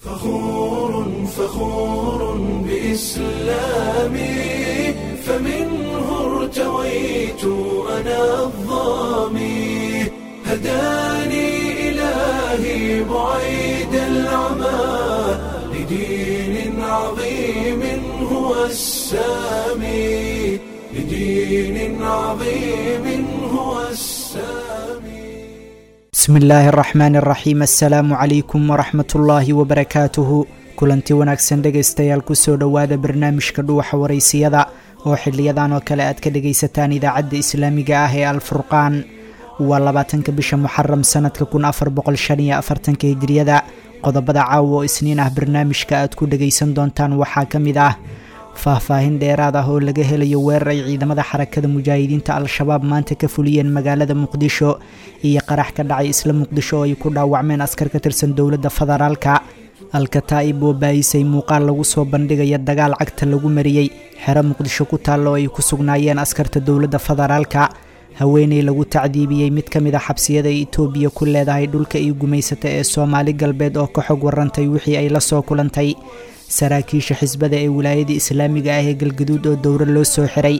فخور فخور بإسلامي، فمنه ارتويت أنا الظامي، هداني إلهي بعيد العمى لدين عظيم هو السامي، لدين عظيم هو السامي. Bismi illaahi araxmaan araxiim. Assalaamu calaykum waraxmatullaahi wabarakaatuhu. Kulanti wanaagsan dhegaystayaal, kusoo dhowaada barnaamijka Dhuuxa Waraysiyada oo xiliyadan oo kale aad ka dhagaysataan idaacadda islaamiga ah ee Alfurqaan. Waa 20-ka bisha Muxaram sanadka 1445-ka Hijriyada. Qodobada caawa oo Isniin ah barnaamijka aad ku dhagaysan doontaan waxaa ka mid ah faahfaahin dheeraad ah oo laga helayo weerar ay ciidamada Xarakada Mujaahidiinta Al-Shabaab maanta ka fuliyeen magaalada Muqdisho iyo qarax ka dhacay isla Muqdisho oo ay ku dhaawacmeen askar ka tirsan dowladda federaalka. Alkataa'ib oo baayisay muuqaal lagu soo bandhigaya dagaal cagta lagu mariyey xero Muqdisho ku taalla oo ay ku sugnaayeen askarta dowladda federaalka. Haweeney lagu tacdiibiyey mid ka mid a xabsiyada ay Itoobiya ku leedahay dhulka iyo gumaysata ee Soomaali Galbeed oo ka xog warantay wixii ay la soo kulantay. Saraakiisha xisbada ee wilaayada islaamiga ah ee Galgaduud oo dowro loo soo xiray.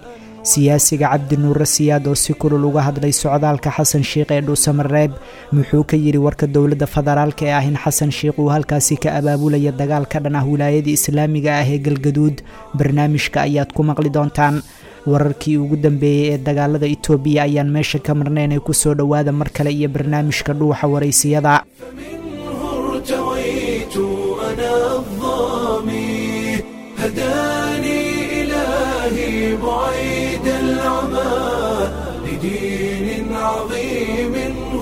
Siyaasiga Cabdi Nuure Siyaad oo si kulul uga hadlay socdaalka Xasan Sheikh ee Dhuusamareeb, muxuu ka yidhi warka dowladda federaalka ee ah in Xasan Sheikh uu halkaasi ka abaabulaya dagaal ka dhan ah wilaayada islaamiga ah ee Galgaduud? Barnaamijka ayaad ku maqli doontaan. Wararkii ugu dambeeyey ee dagaalada Itoobiya ayaan meesha ka marnayn ee kusoo dhowaada mar kale iyo barnaamijka Dhuuxa Waraysiyada. فمنه ارتويت أنا الظامي، هداني إلهي بعيد العمى لدين عظيم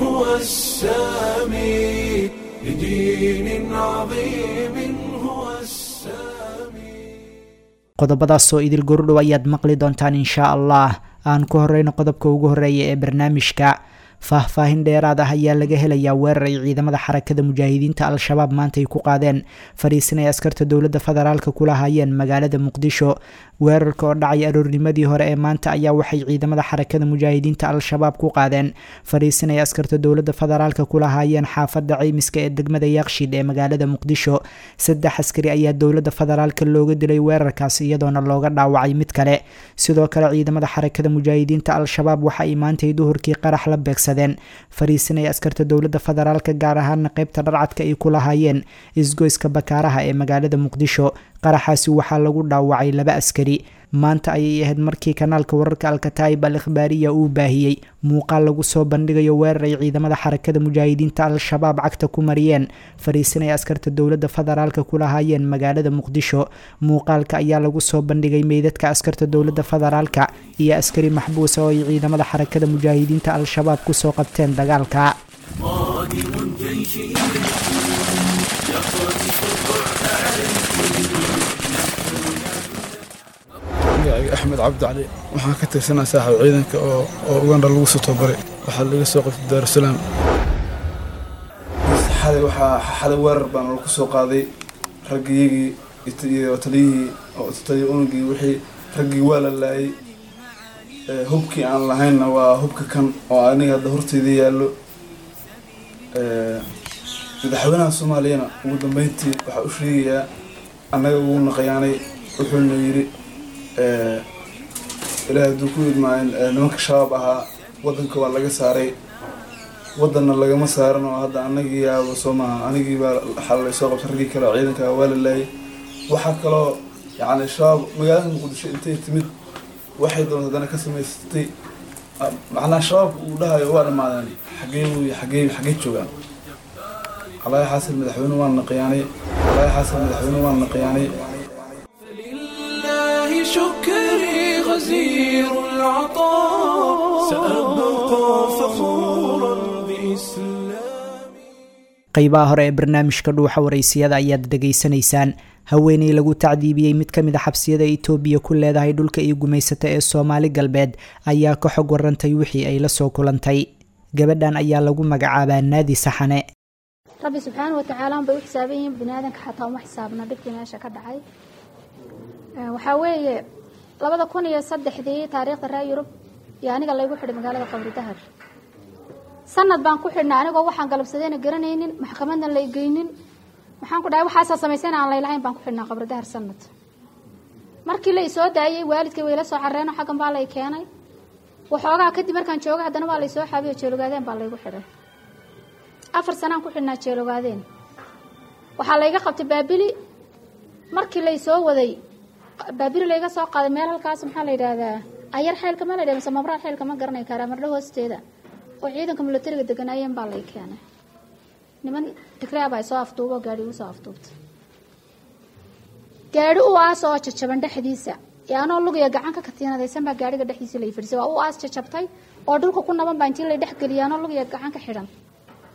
هو السامي، لدين عظيم هو السامي. Qodobadaasoo idil gordhow ayaad maqli doontaan inshaa Allah. Aan ku horeyno qodobka ugu horeeya ee barnaamijka. Faahfaahin dheeraad ah ayaa laga helayaa weerar ay ciidamada Xarakada Mujaahidiinta Al-Shabaab maanta ay ku qaadeen fariisin ay askarta dowladda federaalka kula hayeen magaalada Muqdisho. Weerarka oo dhacay aroornimadii hore ee maanta ayaa waxay ciidamada Xarakada Mujaahidiinta Al-Shabaab ku qaadeen fariisin ay askarta dowladda federaalka kula hayeen xaafadda Ceymiska ee degmada Yaaqshiid ee magaalada Muqdisho. Saddex askari ayaa dowladda federaalka looga dilay weerarkaas, iyadoona looga dhaawacay mid kale. Sidoo kale ciidamada Xarakada Mujaahidiinta Al-Shabaab waxa ay maantay duhurkii qarax la beegsadeen fariisin ay askarta dowladda federaalka, gaar ahaana qeybta dharcadka, ay ku lahaayeen isgoyska Bakaaraha ee magaalada Muqdisho. Qaraxaasi waxaa lagu dhaawacay laba askari. Maanta ayay ahayd markii kanaalka wararka Alkataa'ib Al Ikhbaariya uu baahiyey muuqaal lagu soo bandhigayo weerar ay ciidamada Xarakada Mujaahidiinta Al-Shabaab cagta ku mariyeen fariisin ay askarta dowladda federaalka ku lahaayeen magaalada Muqdisho. Muuqaalka ayaa lagu soo bandhigay meydadka askarta dowladda federaalka iyo askari maxbuusa oo ay ciidamada Xarakada Mujaahidiinta Al-Shabaab kusoo qabteen dagaalka. قادم الجيش يقذف الرعب عليكم. Magacayga Axmed Cabdi Cali, waxaan ka tirsanaa saaxiib ciidanka oo Uganda lagu soo tababaray. Waxaa laga soo qabtay Daarusalaam. Xalay waxaa xalay weerar baan lagu soo qaaday raggiyagii iyo taliyihii oo taliya unugii, wixii raggii waa la laayay. Hubkii aan lahaynna waa hubka kan oo aniga hadda horteyda yaallo. Madaxweynaha Soomaaliyana ugu dambeyntii waxaa u sheegayaa annaga ugu naqayaanay, wuxuuna yidhi Ilaahay hadduu ku idmaayin nimanka Shabaab ahaa waddanka waa laga saaray, waddanna lagama saaran oo hadda anagii yaaba soo maaha, anigii baa xalay soo qabtay, raggii kale oo ciidanka waa la laayay. Waxaa kaloo yacni Shabaab magaalada Muqdisho intay timid waxay doonta haddana ka samaysatay. Macnaha Shabaabka uu dhahayo waa dhammaadeen, xaggee wuy xaggee joogaan? Calaayi xaasil madaxweyne waan naqiyaanay, calaayi xaasil madaxweyne waan naqiyaanay. فلله شكري غزير العطاء، سأبقى فخورا بإسلامي. Qeybaha hore ee barnaamijka Dhuuxa Waraysiyada ayaad dhegaysanaysaan. Haweeney lagu tacdiibiyey mid ka mid a xabsiyada Itoobiya ku leedahay dhulka iyo gumaysata ee Soomaali Galbeed ayaa ka xog warantay wixii ay la soo kulantay. Gabadhan ayaa lagu magacaabaa Naadi Saxane. Rabbi subxaana watacaala un bay u xisaaban yihiin, bini aadanka xataa uma xisaabna dhibkii meesha ka dhacay. Waxaa weeye 2003-dii taariikhda reer Yurub iyo aniga laygu xidhay magaalada Qabri Dahar. Sanad baan ku xidhnay anigoo waxaan galabsadayna garanaynin, maxkamadna lay geynin. Maxaan ku dhahay, waxaasaa samaysana aan laylahayn baan ku xidhnaa Qabri Dahar sanad. Markii la isoo daayey waalidkay way la soo carreeno, xaggan baa lay keenay. Waxoogaa kadib markaan jooga haddana waa laysoo xaabiyo, Jeelogaadeen baa laygu xidhay. 4 sanaan ku xidhnaa Jeelogaadeen. Waxaa layga qabtay Baabili. Markii laysoo waday Baabili layga soo qaaday meel halkaas, maxaa la yidhaahdaa, Ayar Xeylka ma la yidhahda mise Mabraar Xeylka, ma garanay karaa, Mardho hoosteeda oo ciidanka militariga deganaayeen baa lay keenay. Niman Tigraa baa soo afduubo, gaadhi igu soo afduubtay, gaadhi u aas oo jajaban dhexdiisa ee anoo lugaya gacan ka katiinadaysan baa gaadhiga dhexdiisa lay fadhiisay. Waa u aas jajabtay oo dhulka ku naban baa intii lay dhex geliyay, anoo lugaya gacan ka xidhan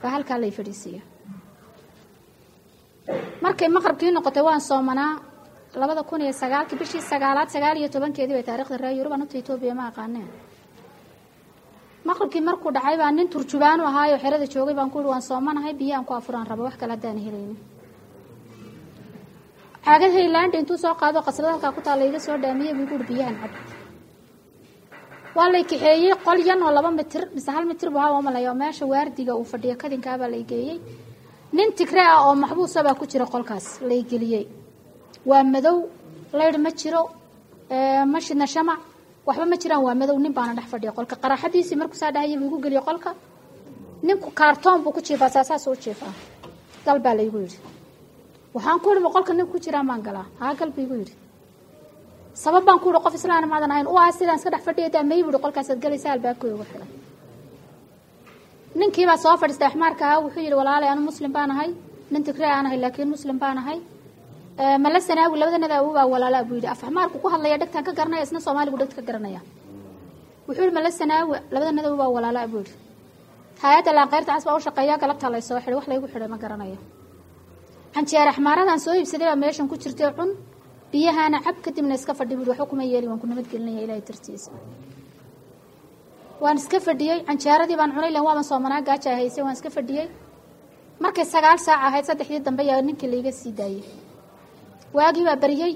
baa halkaa lay fadhiisiiya. Markay maqrabkii noqotay, waan soomanaa, 2009-kii bishii sagaalaad 19-keedii bay taarikhda reer Yurub, anugta Etoobiya ma aqaaneen. Maqribkii markuu dhacay baa nin turjubaanu ahaayo xerada joogay baan ku ihi, waan soomanahay, biyo aan ku afuraan raba, wax kale haddaan helaynin. Caagad Haylaandha intuu soo qaado qaslada halkaa ku taalla iga soo dhaamiyey buu igu uhi, biyahan cab. Waa lay kaxeeyey qol yan oo 2 mitir mise 1 mitir buu ahaa malaya, oo meesha waardiga uu fadhiyo kadinkaabaa lay geeyey. Nin Tigre ah oo maxbuusa baa ku jira qolkaas lay geliyey. Waa madow, laydh ma jiro, ma shidna shamac, waxba ma jiraan, waa madow. Nin baana dhex fadhiya qolka. Qaraaxadiisii markuu saa dhahayay buu igu geliyey qolka. Ninku kaartoon buu ku jiifaa, saasaas u jiifaa. Gal baa laygu yidhi. Waxaan ku idhi, ma qolka ninku ku jiraan baan galaa? Haa, gal buu igu yidhi. Sabab baan ku idhi, qof islaana maadan ahayn, u ah sidaan iska dhex fadhiya daa may buhi, qolkaasaad galaysa, albaabkooda ugu xidhay. Ninkiibaa soo fadhiistay axmaarka ahaa. Wuxuu yidhi, walaalay, anu muslim baan ahay, nin Tigree aan ahay laakiin muslim baan ahay. Mala Sanaawi labadanada awobaa walaalaa buu yidhi. Af axmaarku ku hadlaya dhegtaan ka garanaya, isna Soomaaligu dhegta ka garanaya. Wuxuu yidhi, Mala Sanaawi labadanada awobaa walaalaa buu yidhi. Hay-adda Laanqeyrta Cas baa u shaqeeya. Galabtaa lay soo xidhay, wax laygu xidhay ma garanayo. Canjeer axmaaradan soo iibsaday baa meeshan ku jirtay, cun, biyahana cab, kadibna iska fadhi buu yidhi. Waxba kuma yeeli, waan ku nabadgelinaya Ilaahay dartiisa. Waan iska fadhiyey, canjeeradii baan cunay, lan waaban soomanaa, gaaja haysay, waan iska fadhiyey. Markay 9 saac ahayd, saddexdii dambe yaa ninkii laiga sii daayey. Waagii baa baryey,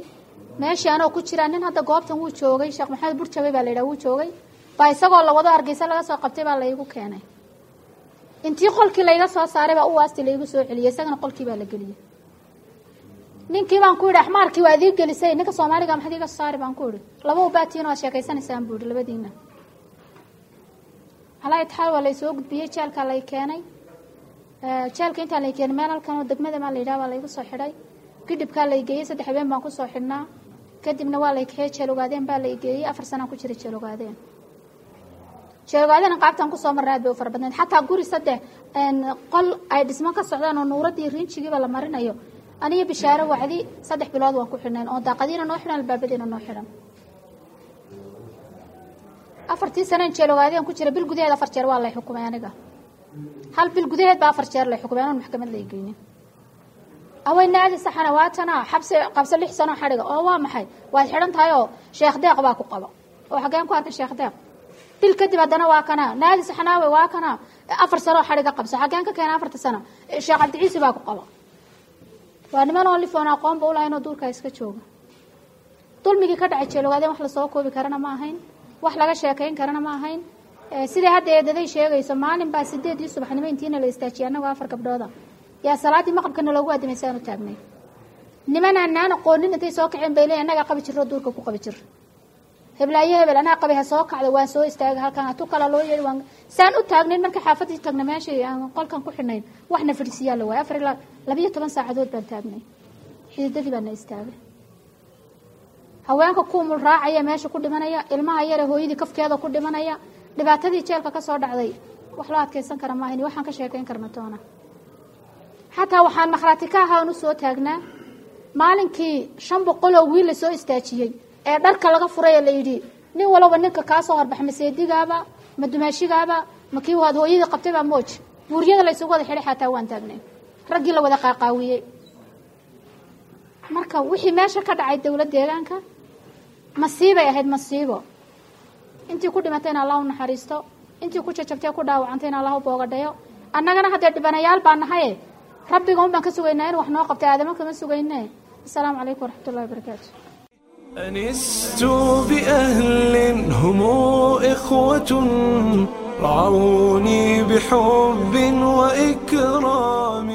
meeshii anoo ku jiraa nin hadda goobtan wuu joogay, Sheekh Maxamed Burjabay baa la yidhaha, wuu joogay, baa isagoo la wado Hargeysa laga soo qabtay baa laygu keenay. Intii qolkii layga soo saaray baa u waasti laygu soo celiyey, isagana qolkii baa la geliyey. Ninkii baan ku yidhi, axmaarkii waa idii gelisay, ninka Soomaaliga maxaad iiga soo saari baan ku idhi. Laba ubaatiin waad sheekaysanaysaan buu yidhi labadiina. Calaa itixaal waa laysoo gudbiyey, jeelkaa lay keenay. Jeelka intaan lay keenay meel halkan oo degmada maa la yidhaha baa laygu soo xidhay. Gidhibkaa lay geeyey, 3 habeen baan kusoo xidhnaa. Kadibna waa lay kaxeeyey, Jeel Ogaadeen baa lay geeyey. 4 sanaan ku jiray Jeel Ogaadeen. Jeel Ogaadeen qaabtaan kusoo marnay aad bay u fara badnayd. Xataa guri 3 qol ay dhismo ka socdaan oo nuuradii rinjigiiba la marinayo, aniyo Bishaaro Wacdi 3 bilood waan ku xidhnayn, oo daaqadiina noo xidhan, albaabadiina noo xidhan. 4-tii saneen Jeel Ogaadeen ku jira, bil gudaheed 4 jeer waa lay xukumay aniga. Hal bil gudaheed baa 4 jeer lay xukumay anoon maxkamad lay geynin. Away naadi saxana waatana xabsi qabso 6 sano xadhiga oo waa maxay, waad xidhan tahay oo Sheekh Deeq baa ku qaba, oo xaggeen ku arkay Sheekh Deeq? Bil kadib haddana waa kana naadi saxanaawe, waa kana 4 sano xadhiga qabso. Xaggeen ka keena 4-ta sano? Sheekh Cabdiciise baa ku qaba. Waa niman oo lifoon aqoonba ulahayn oo duurkaa iska jooga. Dulmigii ka dhacay Jeelogaadeen wax lasoo koobi karana ma ahayn, wax laga sheekayn karana ma ahayn. Sidai hadda eedaday sheegayso, maalin baa 8-dii subaxnimo intiina la istaajiyay annagoo 4 gabdhooda yaa salaaddii maqribkana loogu aadimay si aanu taagnay. Niman aanaan aqoonin intay soo kaceen bay leeyihin, annagaa qabi jirro, duurka ku qabi jir, heblaayo hebel anaa qabay, ha soo kacdo. Waan soo istaagay halkan, hatu kala loo yeedhi, waan saan u taagnayn. Markii xaafadii tagna, meeshii aan qolkan ku xidhnayn, waxna fadhisiyaa la waayay. 4 ilaa 12 saacadood baan taagnay, xididadii baana istaagay. Haweenka kuumul raacaya meesha ku dhimanaya, ilmaha yare hooyadii kafkeeda ku dhimanaya. Dhibaatadii jeelka ka soo dhacday wax loo adkaysan kara maahayn, waxaan ka sheekayn karna toona. Xataa waxaan makhraati ka ahaa oon usoo taagnaa maalinkii 500 oo wiil la soo istaajiyey ee dharka laga furay ee la yidhi, nin walowba ninka kaa soo horbax, ma seedigaaba, ma dumaashigaaba, ma kii waad hooyadii qabtay baa mooj, buuryada la isugu wada xidhay. Xataa waan taagnay raggii la wada qaaqaawiyey. Marka wixii meesha ka dhacay dowlad deegaanka masiibay ahayd, masiibo. Intii ku dhimatayna Allah u naxariisto, intii ku jajabtay ku dhaawacantayna Allah u boogadhayo. Annagana haddee dhibanayaal baa nahaye, rabbiga un baan ka sugaynaa in wax noo qabtay, aadamo kama sugayne. Asalaamu calaykum waraxmat ullahi wabarakaatu. أنست بأهل هم إخوة، رعوني بحب وإكرام.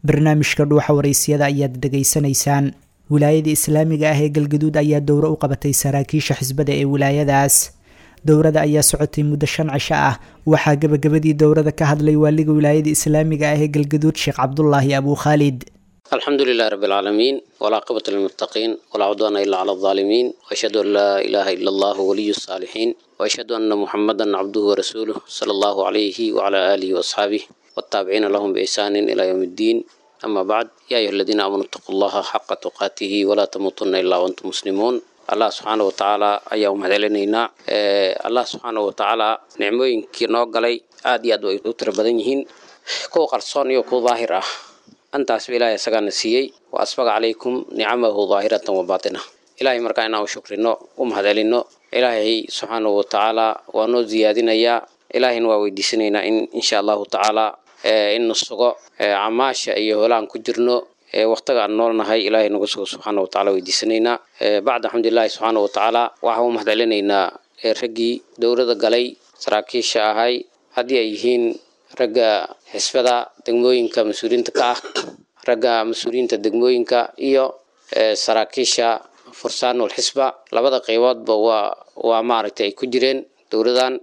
Barnaamijka Dhuuxa Waraysiyada ayaad dhegaysanaysaan. Wilaayada islaamiga ah ee Galgaduud ayaa dowro u qabatay saraakiisha xisbada ee wilaayadaas. Dowrada ayaa socotay muddo 5 cisho ah. Waxaa gabagabadii dowrada ka hadlay waaliga wilaayada islaamiga ah ee Galgaduud, Sheekh Cabdulaahi Abu Khaalid. الحمد لله رب العالمين، والعاقبة للمتقين، ولا عدوان إلا على الظالمين، وأشهد أن لا إله إلا الله ولي الصالحين، وأشهد أن محمدا عبده ورسوله صلى الله عليه وعلى آله وأصحابه والتابعين لهم بإحسان إلى يوم الدين. أما بعد، يا أيها الذين آمنوا اتقوا الله حق تقاته ولا تموتن إلا وأنتم مسلمون. Allah subxaana watacaala ayaa u mahadcelinaynaa. Allah subxaana watacaala nicmooyinkii noo galay aad iyo aad way u tiro badan yihiin, kuwa qarsoon iyo kuwa daahir ah. Antaasba Ilaahay isagaana siiyey. Wa asbaga calaykum nicamahu daahiratan wa baatina. Ilaahay markaa inaan u shukrino, u mahadcelino, Ilaahay subxaanahu watacaala waa noo ziyaadinayaa. Ilaahayna waa weydiisanaynaa in insha allahu tacaala in sugo camaasha iyo holaan ku jirno waqtiga aan noolnahay. Ilaahay nagu sugo subxaana watacaala weydiisanaynaa. Bacda alxamdulilahi subxaana watacaala, waxaan u mahadcelinaynaa raggii dowlada galay, saraakiisha ahay, haddii ay yihiin ragga xisbada degmooyinka mas-uuliyiinta ka ah, ragga mas-uuliyiinta degmooyinka iyo saraakiisha fursaanul xisba. Labada qayboodba waa maaragtay ay ku jireen dowladan,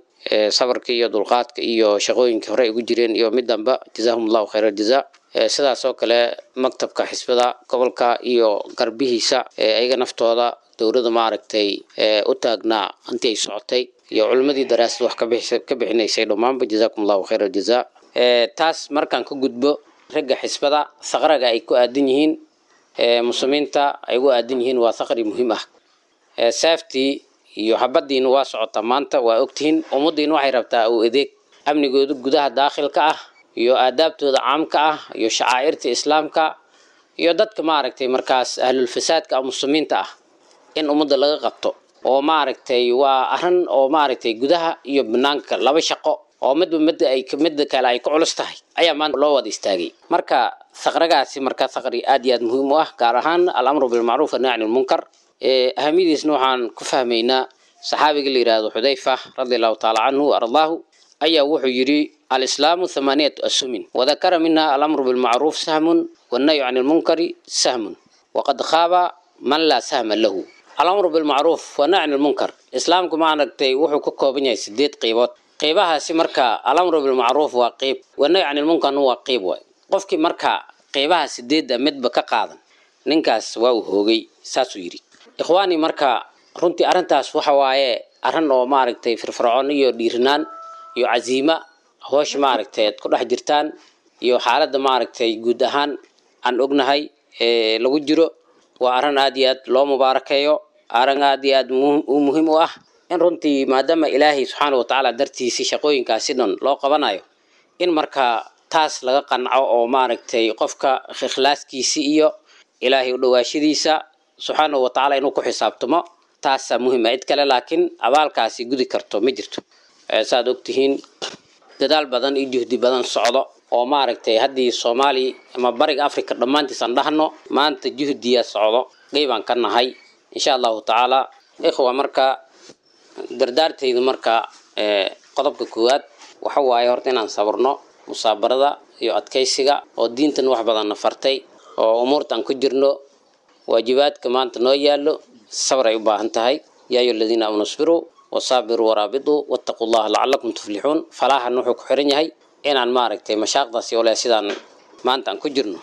sabarka iyo dulqaadka iyo shaqooyinkii hore ay ugu jireen iyo midanba. Jazaahum allahu khayra aljaza. Sidaas oo kale maktabka xisbada gobolka iyo garbihiisa, ayaga naftooda dowladda maaragtay u taagnaa intii ay socotay, iyo culimmadii daraasad wax ka bixinaysay dhammaanba, jazaakum allahu khayra aljaza. Taas markaan ka gudbo, ragga xisbada saqraga ay ku aadan yihiin muslimiinta ay ugu aadan yihiin waa saqri muhiim ah. Saaftii iyo habadiina waa socotaa maanta, waa ogtihiin. Ummaddiina waxay rabtaa uu adeeg amnigooda gudaha daakhilka ah iyo aadaabtooda caamka ah iyo shacaa'irta islaamka iyo dadka maaragtay markaas ahlulfasaadka ah muslimiinta ah in ummadda laga qabto, oo maaragtay waa arrin oo maaragtay gudaha iyo banaanka laba shaqo oo midba midda ay midda kale ay ku culus tahay ayaa maanta loo wada istaagay. Marka saqragaasi marka saqri aad iyo aad muhiim u ah, gaar ahaan alamru bilmacruuf wanahyi can ilmunkar. Ahamiyadiisna waxaan ku fahmaynaa saxaabiga la yidhaahdo Xudayfa radi allahu taala canhu wa ardaahu ayaa wuxuu yidhi: alislaamu thamaniyatu asumin, wadakara minha alamru bilmacruuf sahmun wannahyu can ilmunkari sahmun, waqad khaaba man laa sahma lahu. Alamru bilmacruuf wanahyu can ilmunkar, islaamku ma aragtay wuxuu ka kooban yahay 8 qeybood. Qeybahaasi marka alamru bilmacruuf waa qeyb, wanahyu can ilmunkarna waa qeyb. Waay qofkii marka qeybaha 8da midba ka qaadan, ninkaas waa uu hoogay, saasuu yidhi. Ikhwaani, marka runtii arrintaas waxa waaye arrin oo maaragtay firfircoon iyo dhiirinaan iyo casiima hoosh maaragtay aad ku dhex jirtaan iyo xaaladda maaragtay guud ahaan aan ognahay ee lagu jiro, waa arrin aad iyo aad loo mubaarakeeyo, arrin aad iyo aad u muhiim u ah in runtii maadaama Ilaahay subxaana watacaala dartiisii shaqooyinkaasi dhan loo qabanayo, in marka taas laga qanco oo maaragtay qofka ikhlaaskiisi iyo Ilaahay u dhawaashadiisa subxaanahu watacaala inuu ku xisaabtamo, taasaa muhiim ah. Cid kale laakiin abaalkaasi gudi karto ma jirto. Saad ogtihiin, dadaal badan iyo juhdi badan socdo oo maaragtay haddii Soomaali ama Bariga Africa dhammaantiis aan dhahno, maanta juhdiya socdo, qeybaan ka nahay insha allahu tacaala. Ikhwa, marka dardaartaydu marka qodobka koowaad waxa waaye horta inaan sabrno, musaabarada iyo adkaysiga oo diintan wax badanna fartay oo umuurta aan ku jirno, waajibaadka maanta noo yaallo sabr ay u baahan tahay. Yaa ayuha aladiina aamanu isbiruu wasaabiruu waraabituu wattaquu llaha lacalakum tuflixuun. Falaahan wuxuu ku xiran yahay inaan maaragtay mashaaqdaasi ole sidaan maanta aan ku jirno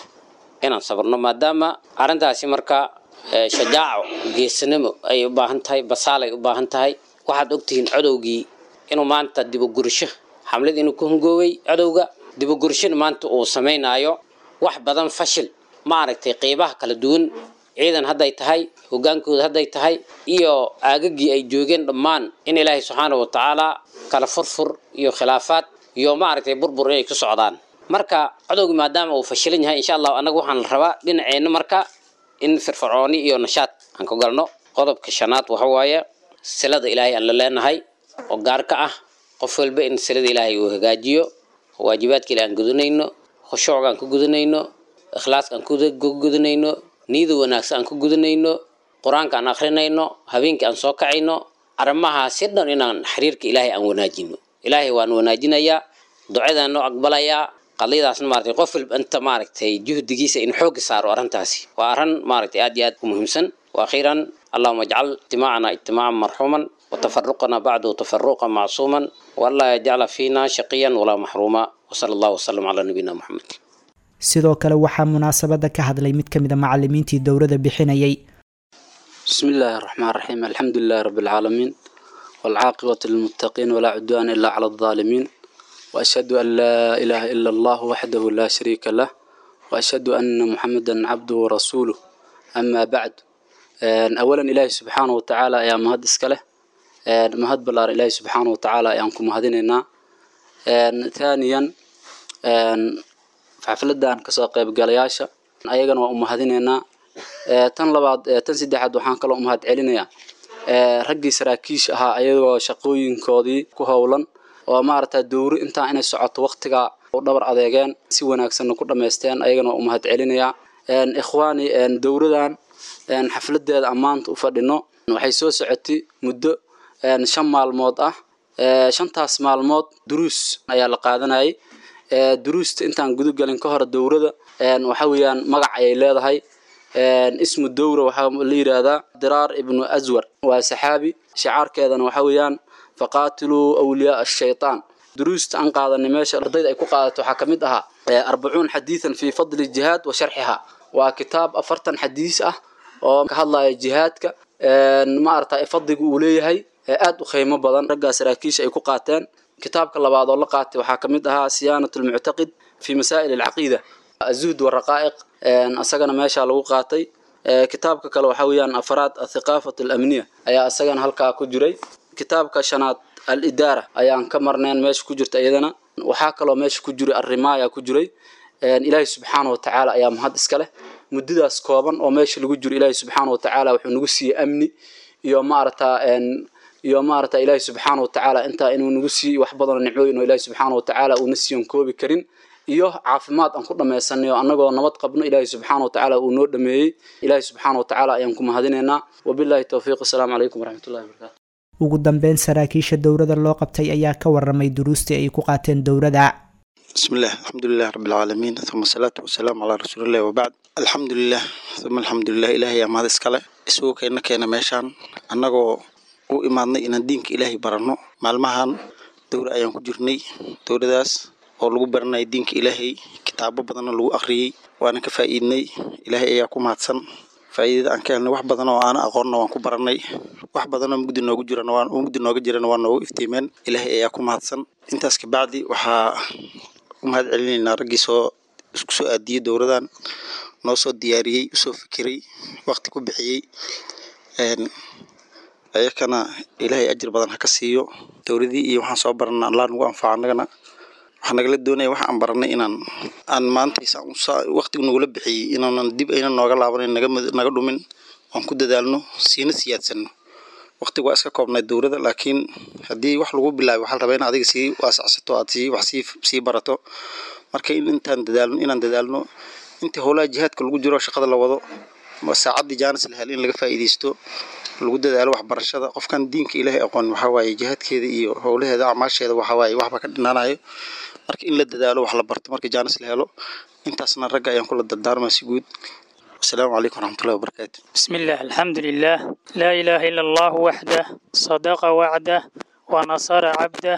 inaan sabrno, maadaama arrintaasi marka shajaaco, geesinimo ay u baahan tahay, basaalay u baahan tahay. Waxaad ogtihiin codowgii inuu maanta dibugursho xamlad inuu ku hungooway, codowga dibugurshona maanta uu samaynaayo wax badan, fashil maaragtay qeybaha kala duwan, ciidan hadday tahay, hogaankooda hadday tahay iyo aagagii ay joogeen dhammaan, in Ilaahay subxaana watacaala kala furfur iyo khilaafaad iyo maaragtay burbur inay ku socdaan. Marka codowgi maadaama uu fashilan yahay, insha allahu annaga waxaan la rabaa dhinaceenna marka in firfircooni iyo nashaad aan ku galno. Qodobka shanaad waxa waaye silada Ilaahay aan la leenahay oo gaar ka ah qof walba, in silada Ilaahay uu hagaajiyo, waajibaadka Ilaahay aan gudanayno, khushuucga aan ku gudanayno, ikhlaaska aan ku gudanayno, niyada wanaagsan aan ku gudanayno, qur-aanka aan akhrinayno, habeenkii aan soo kacayno, arrimahaasi dhan inaan xiriirka Ilaahay aan wanaajino. Ilaahay waan wanaajinayaa, ducadaan noo aqbalayaa. Qadiyadaasna maaragtay qof walba inta maaragtay juhdigiisa in xoogga saaro arrintaasi waa arrin maaragtay aad iyo aad u muhiimsan. وأخيرا اللهم اجعل اجتماعنا اجتماعا مرحوما وتفرقنا بعده تفرقا معصوما ولا يجعل فينا شقيا ولا محروما وصلى الله وسلم على نبينا محمد. Sidoo kale waxaa munaasabada ka hadlay mid ka mid a macalimiintii dowladda bixinayay. بسم الله الرحمن الرحيم، الحمد لله رب العالمين، والعاقبة للمتقين، ولا عدوان إلا على الظالمين، وأشهد أن لا إله إلا الله وحده لا شريك له، وأشهد أن محمدا عبده ورسوله، أما بعد. أولا إلهي سبحانه وتعالى يا مهد إسكاله، مهد بلار إلهي سبحانه وتعالى يا مهديننا. ثانيا xafladan kasoo qaybgalayaasha ayagana waa u mahadinaynaa. Tan labaad, tan saddexaad, waxaan kaloo u mahad celinayaa raggii saraakiisha ahaa ayagoo shaqooyinkoodii ku howlan oo maaragta dowri intaa inay socoto waqtiga u dhabar adeegeen, si wanaagsanna ku dhammaysteen, ayagana waa u mahad celinayaa. Ikhwaani, dowradan xafladeeda ammaanta u fadhino waxay soo socotay muddo 5 maalmood ah. 5taas maalmood duruus ayaa la qaadanayay. Duruusta intaan guda galin ka hor, dowrada waxa weeyaan magac ayay leedahay. Ismu dowra waxaa la yidhaahdaa Diraar ibnu Aswar, waa saxaabi. Shicaarkeedana waxa weeyaan faqaatiluu awliyaa ashaytaan. Duruusta aan qaadanay meesha ardayda ay ku qaadato waxaa kamid ahaa 40 xadiidan fii fadli jihaad wa sharxiha. Waa kitaab 40 xadiis ah oo ka hadlaya jihaadka, maaragta fadliga uu leeyahay, aad u qiimo badan, raggaa saraakiisha ay ku qaateen. Kitaabka labaad oo la qaatay waxaa kamid ahaa siyaanat almuctaqid fi masaa'il alcaqiida, azuhd waraqaa'iq, asagana meeshaa lagu qaatay. Kitaabka kale waxaa weeyaan afraad athiqaafat alamniya ayaa asagana halkaa ku jiray. Kitaabka shanaad alidaara ayaan ka marnayn meesha ku jirta iyadana. Waxaa kaloo meesha ku jiray arrimaaya ku jiray. Ilaahay subxaana wa tacaala ayaa mahad iska leh. Muddadaas kooban oo meesha lagu jiro Ilaahay subxaana wa tacaala wuxuu nagu siiyey amni iyo maaragta iyo maaragta Ilaahay subxaana wa tacaala intaa inuu nagu siiyey wax badan oo nicmooyin oo Ilaahay subxaana wa tacaala uuna siiyon koobi karin, iyo caafimaad aan ku dhammaysanay oo annagoo nabad qabno Ilaahay subxaana wa tacaala uu noo dhameeyey. Ilaahay subxaana wa tacaala ayaan ku mahadinaynaa. Wabilaahi towfiiq. Assalaamu calaykum waraxmatullahi wabarakaatu. Ugu dambeyn saraakiisha dowladda loo qabtay ayaa ka waramay duruustii ay ku qaateen dowladda. بسم الله، الحمد لله رب العالمين، ثم الصلاة والسلام على رسول الله، وبعد. الحمد لله ثم الحمد لله. إلهي mahad iskale isugu keena keena meeshaan annagoo u imaadnay inaan diinka Ilaahay baranno. Maalmahan dowra ayaan ku jirnay, dowradaas oo lagu baranayay diinka Ilaahay, kitaabo badanna lagu akhriyey, waana ka faa'iidnay. Ilaahay ayaa ku mahadsan faa'iidada aan ka helnay. Wax badan oo aan aqoonna waan ku baranay, wax badan oo mugdi noogu jirana waan mugdi nooga jirana waa noogu iftiimeen. Ilaahay ayaa ku mahadsan. Intaas kabacdi waxaa u mahad celinaynaa raggii soo isku soo aadiyey dowradan, noo soo diyaariyey, usoo fikiray, waqti ku bixiyey. Ayakana Ilaahay ajir badan ha ka siiyo. Dowladii iyo waxaan soo barana Allah nagu anfaco. Annagana waxaa nagala doonaya waxa aan baranay inaan aan maanta waqtigu nagula bixiyey inaanan dib ayna nooga laabanayn, naga dhumin, oon ku dadaalno, siina siyaadsanno. Waqtigu waa iska koobnay dowladda, laakiin haddii wax lagu bilaabay waxaa la rabaa in adiga sii waasacsato, aad sii wax sii barato. Marka in intaan dadaalno, inaan dadaalno intii howlaha jihaadka lagu jiro, shaqada la wado, saacaddii jaanis la hel in laga faa'iidaysto, lagu dadaalo waxbarashada. Qofkan diinka Ilaahay aqoon waxaa waaye jihaadkeeda iyo howlaheeda acmaasheeda waxaa waaye waxba ka dhinaanayo. Marka in la dadaalo, wax la barto marka jaanis la helo, intaasna ragga ayaan kula dardaarmaa si guud. والسلام عليكم ورحمة الله وبركاته. بسم الله، الحمد لله، لا إله إلا الله وحده، صدق وعده، ونصر عبده،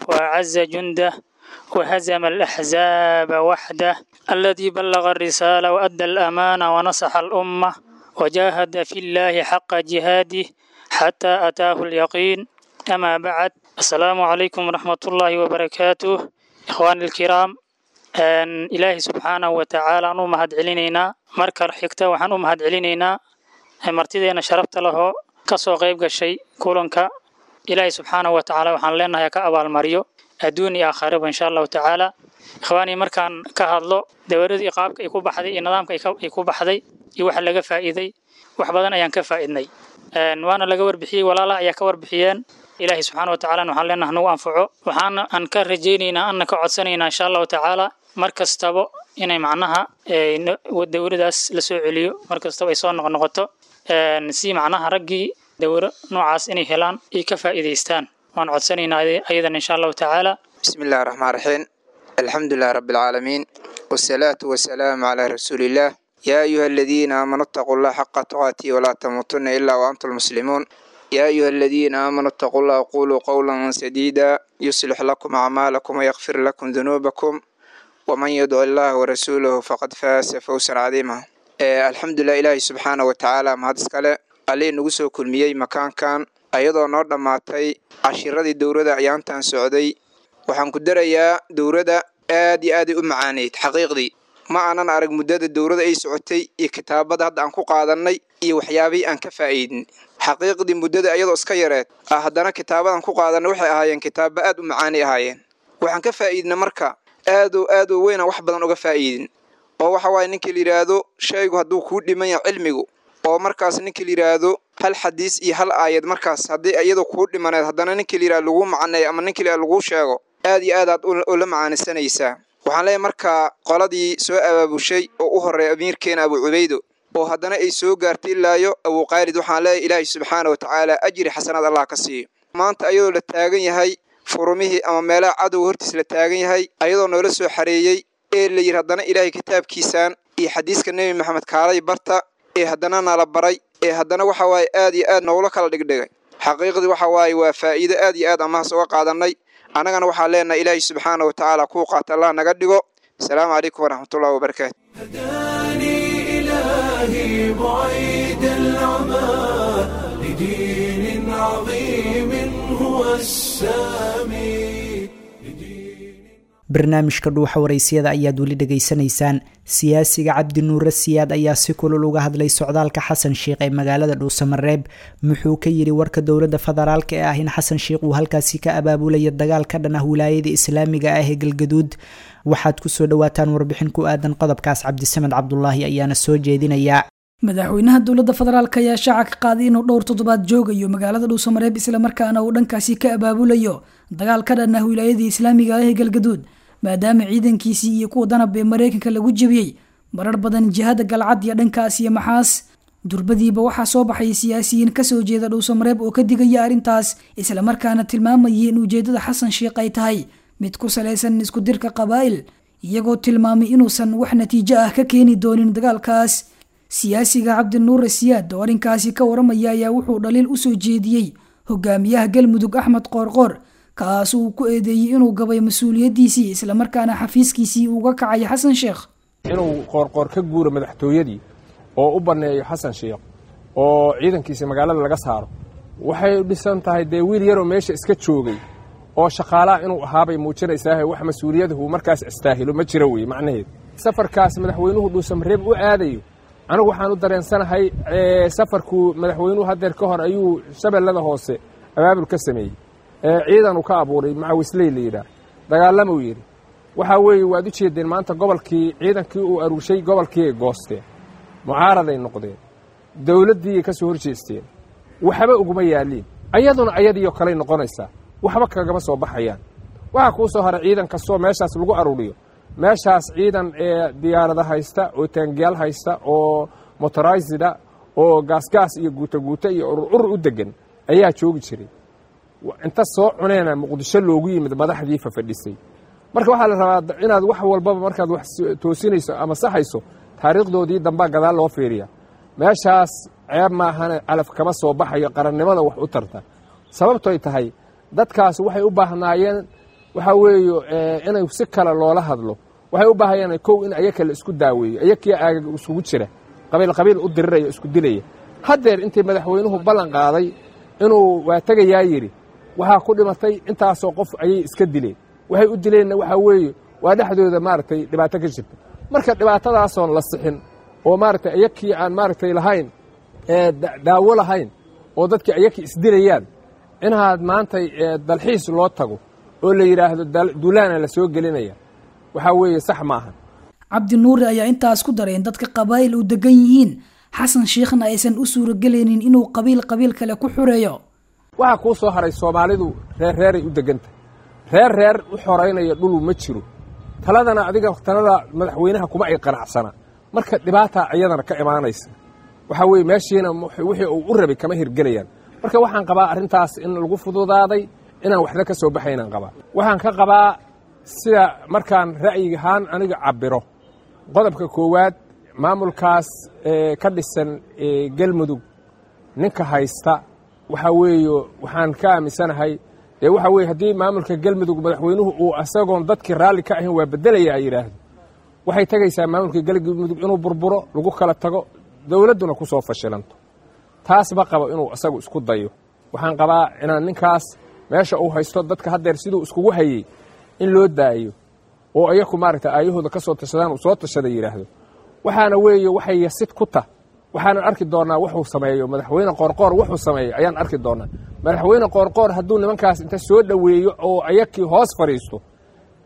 وأعز جنده، وهزم الأحزاب وحده، الذي بلغ الرسالة وأدى الأمانة ونصح الأمة وجاهد في الله حق جهاده حتى أتاه اليقين. أما بعد، السلام عليكم ورحمة الله وبركاته. إخواني الكرام، Ilaahay subxaanahu watacaala aan u mahad celinaynaa. Marka xigta waxaan u mahad celinaynaa martideena sharafta lahoo kasoo qayb gashay kulanka. Ilaahay subxaanahu watacaala waxaan leenahay ka abaalmariyo adduun iyo aakhiraba, insha Allahu tacaala. Ikhwaanii, markaan ka hadlo dowladii qaabka ay ku baxday iyo nidaamka ay ku baxday iyo waxa laga faa'iiday, wax badan ayaan ka faa'iidnay, waana laga warbixiyey, walaalaha ayaa ka warbixiyeen. Ilaahay subxaana watacaala waxaan leenahay nagu anfaco. Waxaana aan ka rajaynaynaa anna ka codsanaynaa, insha Allahu tacaala, mar kastaba inay macnaha dowladaas la soo celiyo, mar kastaba ay soo noqnoqoto, si macnaha raggii dowro noocaas inay helaan ay ka faa'iidaystaan. Waan codsanaynaa ayadan, insha Allahu tacaala. Bismi illahi raxmaan raxiim. الحمد لله رب العالمين، والصلاة والسلام على رسول الله. يا أيها الذين آمنوا اتقوا الله حق تقاته ولا تموتن إلا وأنتم مسلمون. يا أيها الذين آمنوا اتقوا الله وقولوا قولا سديدا يصلح لكم أعمالكم ويغفر لكم ذنوبكم ومن يدع الله ورسوله فقد فاز فوزا عظيما. الحمد لله، إلهي سبحانه وتعالى mahad iskale allihii nagu soo kulmiyey makaankan ayadoo noo dhammaatay cashiradii dowladda ayaantan socday. Waxaan ku darayaa dowladda aad iyo aaday u macaaneyd. Xaqiiqdii ma aanan arag muddada dowladda ay socotay iyo kitaabada hadda aan ku qaadanay iyo waxyaabihii aan ka faa'iidin. Xaqiiqdii muddada ayadoo iska yareed ah, haddana kitaabadan ku qaadanay waxay ahaayeen kitaaba aad u macaanay ahaayeen. Waxaan ka faa'iidna marka aad oo aad u weynaan wax badan uga faa'iidin, oo waxa waaye ninkii la yidhaahdo shaygu hadduu kuu dhiman yahay cilmigu, oo markaas ninkii la yidhaahdo hal xadiis iyo hal aayad markaas haddii iyadu kuu dhimaneed, haddana ninkii la yidhahdo laguu macaneeyo ama ninkii la yidhahdo laguu sheego, aad iyo aad aad ula macaanisanaysaa. Waxaan leeyahay markaa qoladii soo abaabushay oo u horreeya amiirkeena Abu Cubaydo, oo haddana ay soo gaartay ilaayo Abu Qaalid, waxaan leeyahay Ilaahay subxaana wa tacaala ajri xasanaad Allah ka siiyo. Maanta ayadoo la taagan yahay furumihii ama meelaha cadowga hortiis la taagan yahay, ayadoo noola soo xareeyey ee la yidhi haddana Ilaahay kitaabkiisaan iyo xadiiska Nebi Maxamed kaalay barta, ee haddana nala baray, ee haddana waxa waaye aad iyo aad noogula kala dhigdhigay. Xaqiiqdii waxa waaye waa faa'iido aad iyo aad amahaas uga qaadanay. Annagana waxaan leenahay Ilaahay subxaana wa tacaala kuu qaata Allah naga dhigo. Asalaamu calaykum waraxmatullahi wabarakaatu. هداني إلهي بعيد العمى لدين عظيم هو السامي. Barnaamijka Dhuuxa Waraysiyada ayaad weli dhegaysanaysaan. Siyaasiga Cabdi Nuure Siyaad ayaa si kulul uga hadlay socdaalka Xasan Sheikh ee magaalada Dhuusamareeb. Muxuu ka yidhi warka dowladda federaalka ee ah in Xasan Sheikh uu halkaasi ka abaabulayo dagaal ka dhan ah wilaayada islaamiga ah ee Galgaduud? Waxaad kusoo dhawaataan warbixin ku aadan qodobkaas. Cabdisamed Cabdulaahi ayaana soo jeedinaya. Madaxweynaha dowladda federaalk ayaa shaaca ka qaaday inuu dhowr toddobaad joogayo magaalada Dhuusamareeb, islamarkaana uu dhankaasi ka abaabulayo dagaal ka dhan ah wilaayadii islaamiga ah ee Galgaduud, maadaama ciidankiisii iyo kuwa danab ee Mareykanka lagu jebiyey marar badan jihada Galcad iyo dhankaas iyo Maxaas. Durbadiiba waxaa soo baxay siyaasiyiin kasoo jeeda Dhuusamareeb oo ka digaya arrintaas, islamarkaana tilmaamayay in ujeedada Xasan Sheikh ay tahay mid ku salaysan isku dirka qabaa'il, iyagoo tilmaamay inuusan wax natiijo ah ka keeni doonin dagaalkaas. Siyaasiga Cabdinuure Siyaad oo arrinkaasi ka waramaya ayaa wuxuu dhaliil usoo jeediyey hogaamiyaha Galmudug Axmed Qoorqoor, kaas uu ku eedeeyey inuu gabay mas-uuliyaddiisii, islamarkaana xafiiskiisii uga kacay Xasan Sheekh. Inuu Qoorqoor ka guuro madaxtooyadii oo u banneeyo Xasan Sheekh oo ciidankiisa magaalada laga saaro, waxay dhisan tahay dee wiil yaroo meesha iska joogay oo shaqaalaha inuu ahaabay muujinaysaahe, wax mas-uuliyadahu markaas istaahilo ma jiro weye macnaheedu. Safarkaas madaxweynuhu Dhuusamareeb u aadayo, anigu waxaan u dareensanahay safarkuu madaxweynuhu haddeer ka hor ayuu Shabeellada Hoose abaabul ka sameeyey, ciidanuu ka abuuray Macawisley la yidhaah, dagaalamuu yidhi. Waxaa weeye waad u jeedeen maanta gobolkii ciidankii uu aruurshay gobolkiiay goosteen, mucaaraday noqdeen, dowladdiiay ka soo hor jeesteen, waxba uguma yaalliin, ayaduna ayadiioo kaley noqonaysaa, waxba kagama soo baxayaan. Waxaa kuu soo haray ciidan kastoo meeshaas lagu aruuriyo, meeshaas ciidan ee diyaarada haysta oo taangiyaal haysta oo motoraysida oo gaasgaas iyo guutaguuta iyo urur u degan ayaa joogi jiray. Inta soo cuneena Muqdisho loogu yimid madaxdii fafadhisay. Marka waxaa la rabaa inaad wax walbaba markaad wax toosinayso ama saxayso taariikhdoodii dambaa gadaal loo fiiriya. Meeshaas ceeb maahane calaf kama soo baxayo qarannimada wax u tarta, sababtoy tahay dadkaas waxay u baahnaayeen waxaa weeye inay si kale loola hadlo. Waxay u baahayeen kow in ayaka la isku daaweeyo, ayakiya aagaga isugu jira qabiil qabiil u diriraya isku dilaya. Haddeer intii madaxweynuhu ballan qaaday inuu waa tegayaa yidhi, waxaa ku dhimatay intaasoo qof ayay iska dileen. Waxay u dileenna waxaa weeye waa dhexdooda maaragtay dhibaato ka jirta. Marka dhibaatadaasoon la sixin oo maaragtay ayakii aan maaragtay lahayn daawo lahayn oo dadkii ayakii isdilayaan, inaad maantay dalxiis loo tago oo la yidhaahdo duulaana la soo gelinaya, waxaa weeye sax maaha. Cabdi Nuure ayaa intaas ku daray in dadka qabaa'il u degan yihiin, Xasan Shiikhna aysan u suuragelaynin inuu qabiil qabiil kale ku xureeyo. Waxaa kuu soo haray Soomaalidu reer reeray u degantah, reer reer u xoraynaya dhulu ma jiro. Taladana adiga talada madaxweynaha kuma ay qanacsana, marka dhibaataa iyadana ka imaanaysa. Waxaa weeye meeshiina wixii uu u rabay kama hirgelayaan. Marka waxaan qabaa arrintaas in lagu fududaaday, inaan waxna ka soo baxaynaan qabaa. Waxaan ka qabaa Sida markaan ra'yigahaan aniga cabbiro, qodobka koowaad, maamulkaas ka dhisan Galmudug ninka haysta waxaa weeye, waxaan ka aaminsanahay dee waxaa weye, haddii maamulka Galmudug madaxweynuhu uu asagoon dadkii raalli ka ahayn waa beddelaya ay yidhaahdo, waxay tegaysaa maamulka Galmudug inuu burburo, lagu kala tago, dowladduna ku soo fashilanto. Taas ma qabo inuu isagu isku dayo. Waxaan qabaa inaan ninkaas meesha uu haysto dadka haddeer siduu iskugu hayey in loo daayo, oo iyaku maaragta aayahooda ka soo tashadaan, uu soo tashada yidhaahdo. Waxaana weeye waxay yasid ku tah. Waxaanan arki doonnaa wuxuu sameeyo madaxweyne Qoorqoor. Wuxuu sameeyo ayaan arki doonnaa. Madaxweyne Qoorqoor hadduu nimankaas inta soo dhoweeyo oo ayakii hoos fadhiisto,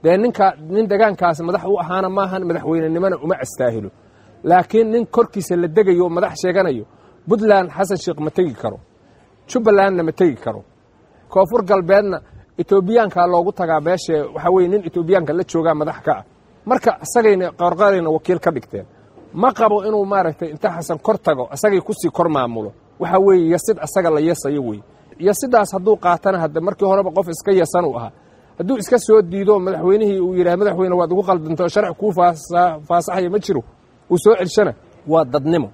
dee ninka nin degaankaas madax u ahaana maahan, madaxweynenimona uma astaahilo. Laakiin nin korkiisa la degayo oo madax sheeganayo, Puntland Xasan Sheekh ma tegi karo, Jubbalandna ma tegi karo, Koonfur Galbeedna Etoobiyaanka loogu tagaa meeshe. Waxaa weye nin Etoobiyaanka la joogaa madax ka ah. Marka isagayna Qoorqoorayna wakiil ka dhigteen. Ma qabo inuu maaragtay inta Xasan kor tago isagay kusii kor maamulo. Waxaa weeye yasid asaga la yasayo wey. Yasidaas hadduu qaatana, hadda markii horeba qof iska yasan uu ahaa, hadduu iska soo diido madaxweynihii, uu yidhaha madaxweyne waad ugu qaldantay oo sharci kuu faasaxaya ma jiro, uu soo celshana, waa dadnimo.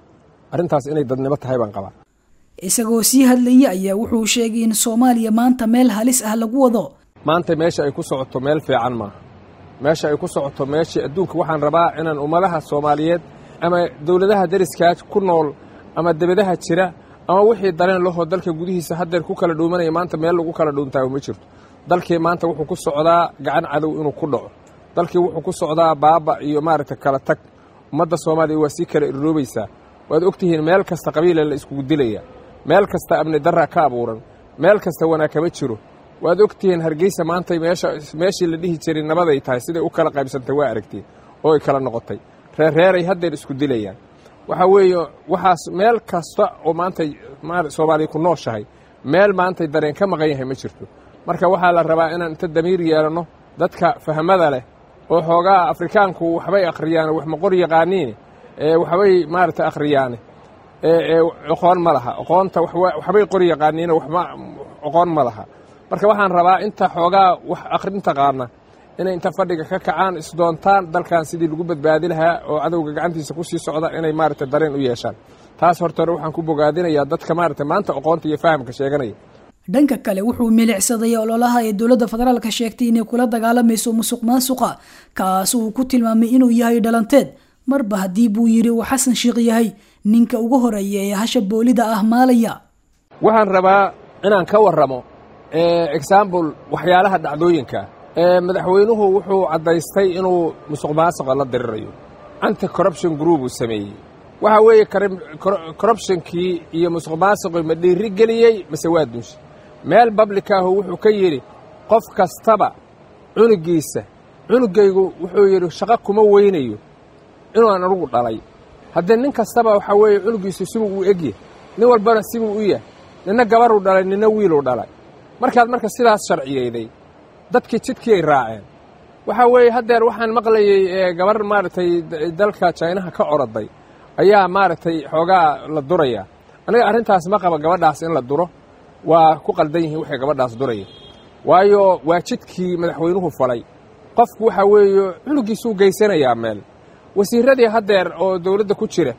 Arrintaas inay dadnimo tahay baan qabaa. Isagoo sii hadlayay ayaa wuxuu sheegay in Soomaaliya maanta meel halis ah lagu wado. Maanta meesha ay ku socoto meel fiican maaha. Meesha ay ku socoto meeshii adduunka, waxaan rabaa inaan ummadaha Soomaaliyeed ama dowladaha deriskaa ku nool ama debadaha jira ama wixii dareen lahoo dalka gudihiisa haddeer ku kala dhuumanaya, maanta meel lagu kala dhuuntaayo ma jirto. Dalkii maanta wuxuu ku socdaa gacan cadow inuu ku dhaco. Dalkii wuxuu ku socdaa baaba iyo maaragta kala tag. Ummadda Soomaaliya waa sii kala irroobaysaa. Waad ogtihiin, meel kasta qabiila la iskugu dilaya, meel kasta amni darra ka abuuran, meel kasta wanaag kama jiro. Waad ogtihiin Hargeysa maantay meesha meeshii la dhihi jiray nabaday tahay siday u kala qaybsantay, waa aragtiin oo ay kala noqotay, reerreeray haddeer isku dilayaan. Waxaa weeye waxaas meel kasta oo maantay Soomaaliya ku nooshahay, meel maantay dareen ka maqan yahay ma jirto. Marka waxaa la rabaa inaan inta damiir yeelanno, dadka fahmada leh oo xoogaa Afrikaanku waxbay akhriyaan, wax ma qor yaqaaniin, waxbay maaragta akhriyaane, aqoon ma laha. Aqoonta waxbay qori yaqaaniin, waxma aqoon ma laha. Marka waxaan rabaa inta xoogaa wax akhrin taqaana inay inta fadhiga ka kacaan, isdoontaan dalkan sidii lagu badbaadi lahaa oo cadowga gacantiisa ku sii socda, inay maaragta dareen u yeeshaan. Taas horta hore waxaan ku bogaadinayaa dadka maaragta maanta aqoonta iyo fahamka sheeganaya. Dhanka kale, wuxuu milicsaday ololaha ee dowladda federaalka sheegtay inay kula dagaalamayso musuq maasuqa, kaas uu ku tilmaamay inuu yahay dhalanteed, marba haddii buu yidhi uu Xasan Sheekh yahay ninka ugu horeeya ee hasha boolida ah maalaya. Waxaan rabaa inaan ka warramo example waxyaalaha dhacdooyinka. Madaxweynuhu wuxuu caddaystay inuu musuq maasuqa la dirirayo. Anti corruption group uu sameeyey. Waxaa weeye corruptionkii iyo musuq maasuqii ma dhiiri geliyey mase waa dunshay? Meel public ahu wuxuu ka yidhi qof kastaba cunugiisa, cunugaygu wuxuu yidhi shaqo kuma weynayo inuan anugu dhalay. Haddee nin kastaba waxaa weeye cunugiisu sibuu u egyahay, nin walbana sibuu u yahay, ninna gabaruu dhalay, ninna wiiluu dhalay. Markaad marka sidaas sharciyeyday, dadkii jidkii ay raaceen. Waxaa weeye haddeer waxaan maqlayey gabar maaragtay dalka Jaynaha ka oroday ayaa maaragtay xoogaa la duraya. Aniga arrintaas ma qaba gabadhaas in la duro. Waa ku qaldan yihiin waxay gabadhaas duraya, waayo waa jidkii madaxweynuhu falay. Qofku waxaa weeye cunugiisuu geysanayaa meel. Wasiirradii haddeer oo dowladda ku jira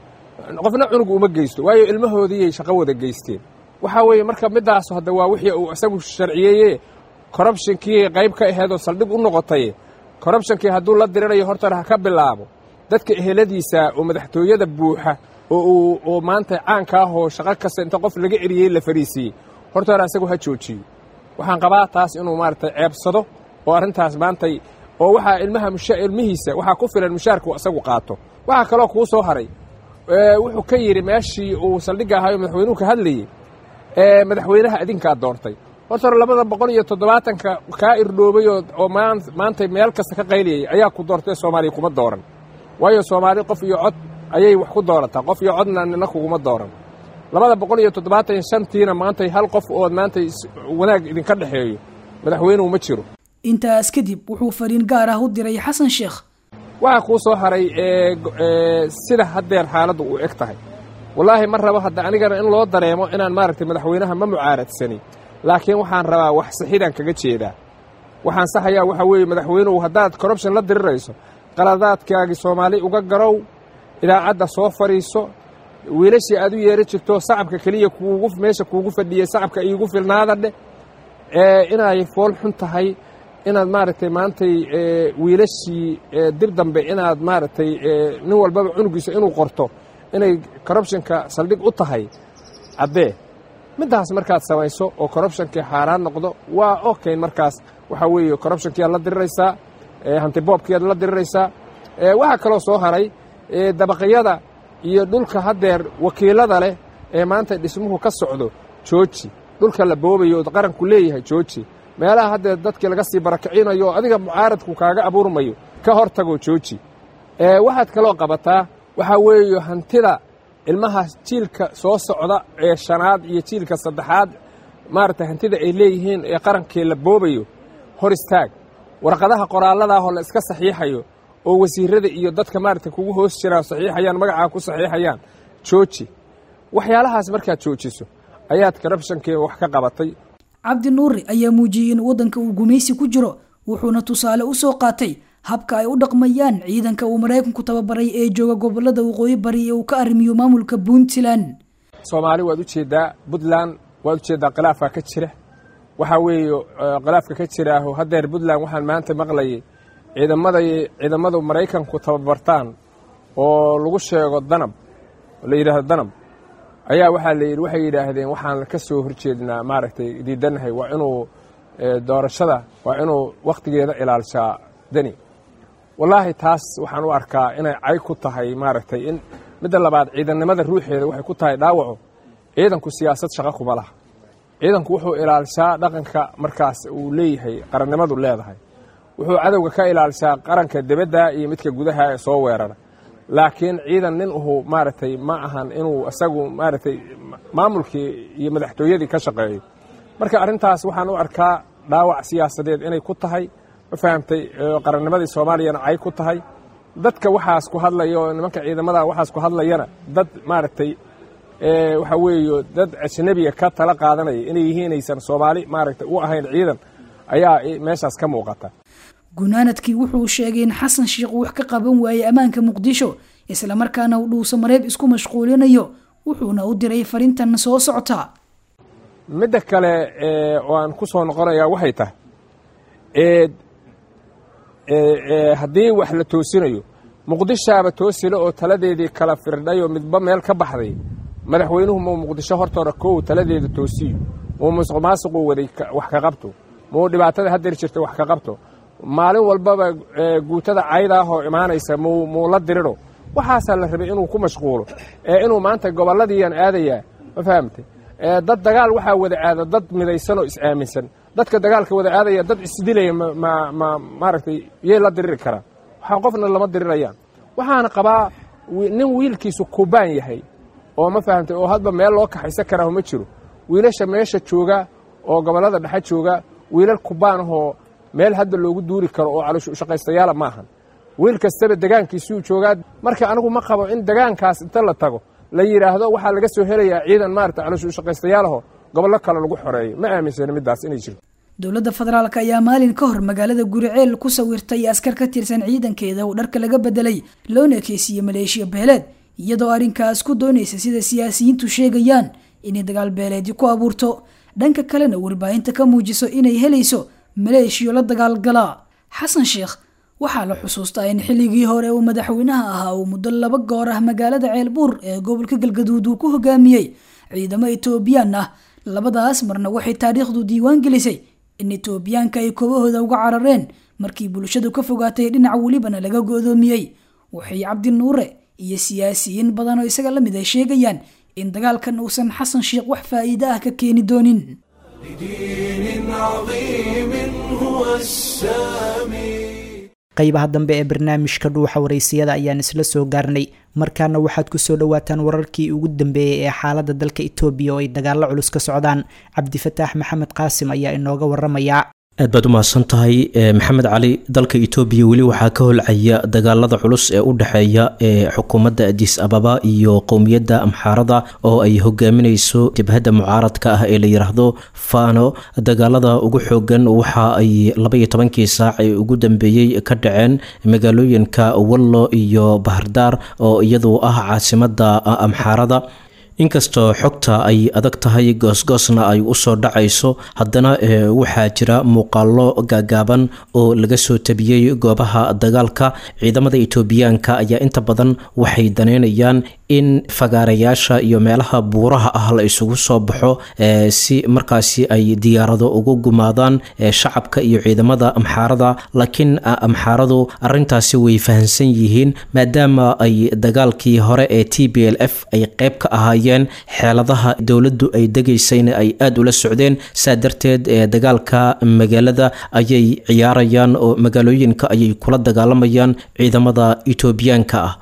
qofna cunug uma geysto, waayo ilmahoodiiyay shaqo wada geysteen. Waxaa weeye marka middaas hadda waa wixii uu isagu sharciyeeye, corruptionkii qayb ka aheedoo saldhig u noqotay. Corruptionkii hadduu la dirirayo, horta ha ka bilaabo dadka eheladiisa oo madaxtooyada buuxa oo oo maanta caanka ah oo shaqo kasta inta qof laga eriyey la fariisiiyey. Horta hore asagu ha joojiyo. Waxaan qabaa taas inuu maaragtay ceebsado oo arrintaas maantay oo waxaa ilmaha ilmihiisa waxaa ku filan mushaarku isagu qaato. Waxaa kaloo kuu soo haray, wuxuu ka yidhi meeshii uu saldhigga ahayo madaxweynuhu ka hadlayey, madaxweynaha idinkaa doortay. Horta hore 270-ka kaa irdhoobay oo maantay meel kasta ka qayliyay ayaa ku doortay, Soomaaliya kuma dooran, waayo Soomaali qof iyo cod ayay wax ku doorataa. Qof iyo codna nina kuguma dooran. 275-tiina maantay hal qof oo maantay wanaag idinka dhexeeyo madaxweynuhu ma jiro. Intaas kadib wuxuu fariin gaar ah u diray Xasan Sheekh. Waxaa kuu soo haray sida haddeer xaaladdu u eg tahay. Wallaahi ma rabo hadda anigana in loo dareemo inaan maaragtay madaxweynaha ma mucaaradsani, laakiin waxaan rabaa wax sixidaan kaga jeedaa. Waxaan saxayaa waxaa weeye, madaxweynuhu, haddaad corruption la dirirayso, qaladaadkaagii Soomaali uga garow, idaacadda soo fadhiiso, wiilashii aad u yeeri jirto sacabka keliya kuugu meesha kuugu fadhiyey sacabka iigu filnaada dheh. Inay fool xun tahay inaad maaragtay maantay wiilashii dib dambe inaad maaragtay nin walbaba cunugiisa inuu qorto inay corruptionka saldhig u tahay caddee. Middaas markaad samayso oo corruptionkii xaaraan noqdo, waa okay. Markaas waxaa weeye corruptionkiiaad la diriraysaa, hantiboobkiiaad la diriraysaa. Waxaa kaloo soo haray dabaqyada iyo dhulka haddeer wakiilada leh ee maanta dhismuhu ka socdo, jooji. Dhulka la boobayo oo qaranku leeyahay, jooji. Meelaha haddeer dadkii laga sii barakicinayo oo adiga mucaaradku kaaga abuurmayo, ka hor tago, jooji. Waxaad kaloo qabataa waxaa weeye hantida ilmaha jiilka soo socda ee shanaad iyo jiilka saddexaad, maaragtay, hantida ay leeyihiin ee qarankii la boobayo hor istaag. Warqadaha qoraalladaahoo la iska saxiixayo oo wasiirada iyo dadka maaragtay kugu hoos jiraan saxiixayaan, magacaa ku saxiixayaan, jooji. Waxyaalahaas markaad joojiso ayaad corruptionkii wax ka qabatay. Cabdi Nuuri ayaa muujiyey in waddanka uu gumaysi ku jiro, wuxuuna tusaale u soo qaatay habka ay u dhaqmayaan ciidanka uu Maraykanku tababaray ee jooga gobolada waqooyi bari ee uu ka arrimiyo maamulka Puntland. Soomaali waad u jeeddaa, Puntland waad u jeeddaa, khilaafaa ka jira. Waxaa weeye khilaafka ka jiraaho haddeer Puntland waxaan maanta maqlayay ciidamaday ciidamadu Maraykanku tababartaan oo lagu sheego Danab, la yidhaahdo Danab, ayaa waxaa la yidhi, waxay yidhaahdeen waxaan ka soo horjeednaa, maaragtay, diidanahay waa inuu doorashada waa inuu wakhtigeeda ilaalshaa Deni. Wallaahi taas waxaan u arkaa inay cay ku tahay, maaragtay, in midda labaad ciidannimada ruuxeeda waxay ku tahay dhaawaco. Ciidanku siyaasad shaqo kuma laha. Ciidanku wuxuu ilaalshaa dhaqanka markaas uu leeyahay qarannimadu leedahay, wuxuu cadowga ka ilaalshaa qaranka debadda iyo midka gudaha ee soo weerara. Laakiin ciidan nin uhu, maaragtay, ma ahan inuu isagu, maaragtay, maamulkii iyo madaxtooyadii ka shaqeeyo. Marka arrintaas waxaan u arkaa dhaawac siyaasadeed inay ku tahay, ma fahamtay, qarannimadii Soomaaliyana cay ku tahay. Dadka waxaas ku hadlaya oo nimanka ciidamada waxaas ku hadlayana dad, maaragtay, waxa weeye dad ajnabiga ka tala qaadanaya inay yihiin, aysan Soomaali, maaragtay, u ahayn ciidan ayaa meeshaas ka muuqata. Gunaanadkii wuxuu sheegay in Xasan Sheikh uu wax ka qaban waayey ammaanka Muqdisho, islamarkaana uu Dhuusamareeb isku mashquulinayo, wuxuuna u diray farintan soo socota. Midda kale oo aan ku soo noqonayaa waxay tahay, haddii wax la toosinayo, Muqdishaaba toosila oo taladeedii kala firdhay oo midba meel ka baxday. Madaxweynuhu muu Muqdisho hortoora kow taladeeda toosiyo, muu musuq maasuquu waday wax ka qabto, muu dhibaatada haddeer jirta wax ka qabto, maalin walbaba guutada caydaahoo imaanaysa muu la diriro. Waxaasaa la rabay inuu ku mashquulo ee inuu maanta gobolladiiaan aadayaa, ma fahamtay? Dad dagaal waxaa wada aada dad midaysan oo is-aaminsan. Dadka dagaalka wada aadaya dad isdilaya ma maaragtay yay la diriri karaan? Waxaa qofna lama dirirayaan. Waxaana qabaa nin wiilkiisu kubaan yahay oo, ma fahamtay, oo hadba meel loo kaxaysan karaa ma jiro. Wiilasha meesha jooga oo gobollada dhexe jooga wiilal kubaanahoo meel hadda loogu duuri karo oo caloosha ushaqaystayaala ma ahan. Wiil kastaba degaankiisuu joogaa. Marka anigu ma qabo in degaankaas inta la tago la yidhaahdo waxaa laga soo helayaa ciidan, maarata, caloosha ushaqaystayaalaho gobollo kale lagu xoreeyo. Ma aaminsani middaas inay jirto. Dowladda federaalk ayaa maalin ka hor magaalada Guriceel ku sawirtay askar ka tirsan ciidankeeda oo dharka laga bedelay loona ekeysiiyey maleeshiya beeleed, iyadoo arrinkaas ku doonaysa, sida siyaasiyiintu sheegayaan, inay dagaal beeleedyo ku abuurto, dhanka kalena warbaahinta ka muujiso inay helayso maleeshiyo la dagaalgala Xasan Sheekh. Waxaa la xusuustaa in xilligii hore uu madaxweynaha ahaa uu muddo 2 goor ah magaalada Ceelbuur ee gobolka Galgaduud uu ku hogaamiyey ciidamo Etoobiyaan ah. Labadaas marna waxay taariikhdu diiwaan gelisay in Etoobiyaanka ay koobahooda uga carareen markii bulshadu ka fogaatay, dhinac welibana laga go'doomiyey. Waxay Cabdi Nuure iyo siyaasiyiin badan oo isaga la mid ay sheegayaan in dagaalkan uusan Xasan Sheekh wax faa'iido ah ka keeni doonin. لدين عظيم هو السامي. Qaybaha dambe ee barnaamijka Dhuuxa Wareysiyada ayaan isla soo gaarnay. Markaana waxaad kusoo dhawaataan wararkii ugu dambeeyey ee xaalada dalka Itoobiya oo ay dagaalo culus ka socdaan. Cabdifataax Maxamed Qaasim ayaa inooga waramaya. Aad baad u mahadsan tahay Maxamed Cali. Dalka Etoobiya weli waxaa ka holcaya dagaalada culus ee u dhexeeya ee xukuumadda Adis Ababa iyo qowmiyadda Amxaarada oo ay hogaaminayso jabhadda mucaaradka ah ee la yiraahdo Fano. Dagaalada ugu xoogan waxa ay 12-kii saac ee ugu dambeeyey ka dhaceen magaalooyinka Wallo iyo Bahardaar oo iyadu ah caasimadda Amxaarada. Inkastoo xogta ay adag tahay, goosgoosna ay usoo dhacayso, haddana waxaa jira muuqaalo gaagaaban oo laga soo tabiyey goobaha dagaalka. Ciidamada Itoobiyaanka ayaa inta badan waxay daneynayaan in fagaarayaasha iyo meelaha buuraha ah la isugu soo baxo si markaasi ay diyaarado ugu gumaadaan shacabka iyo ciidamada Amxaarada. Laakiin Amxaaradu arintaasi way fahansan yihiin, maadaama ay dagaalkii hore ee TPLF ay qeyb ka ahaayeen, xeeladaha dowladdu ay degaysayna ay aada ula socdeen. Saa darteed dagaalka magaalada ayay ciyaarayaan oo magaalooyinka ayay kula dagaalamayaan ciidamada Itoobiyaanka ah.